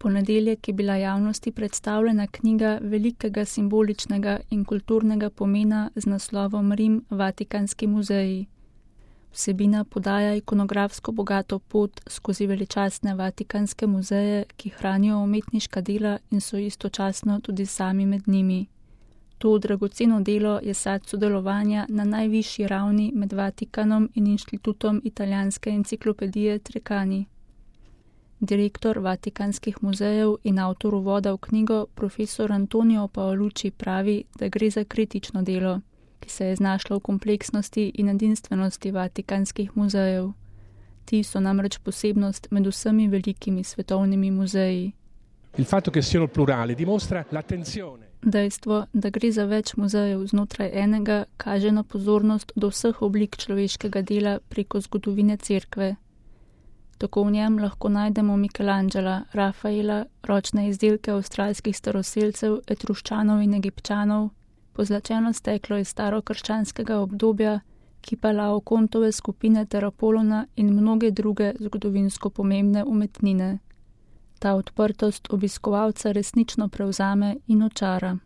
ponedeljek je bila javnosti predstavljena knjiga velikega simboličnega in kulturnega pomena z naslovom Rim, Vatikanski muzeji. Vsebina podaja ikonografsko bogato pot skozi veličastne vatikanske muzeje, ki hranijo umetniška dela in so istočasno tudi sami med njimi. To dragoceno delo je sad sodelovanja na najvišji ravni med Vatikanom in Inštitutom italijanske enciklopedije Treccani. Direktor Vatikanskih muzejev in avtor uvoda v knjigo, profesor Antonio Paolucci, pravi, da gre za kritično delo, ki se je znašlo v kompleksnosti in edinstvenosti Vatikanskih muzejev. Ti so namreč posebnost med vsemi velikimi svetovnimi muzeji. Il fatto che siano plurali dimostra l'attenzione. Dejstvo, da gre za več muzejev znotraj enega, kaže na pozornost do vseh oblik človeškega dela preko zgodovine cerkve. Tako v njem lahko najdemo Michelangela, Rafaela, ročne izdelke avstralskih staroselcev, Etruščanov in Egipčanov, pozlačeno steklo iz starokrščanskega obdobja, kipa Laokontove skupine ter Apolona in mnoge druge zgodovinsko pomembne umetnine. Ta odprtost obiskovalca resnično prevzame in očara.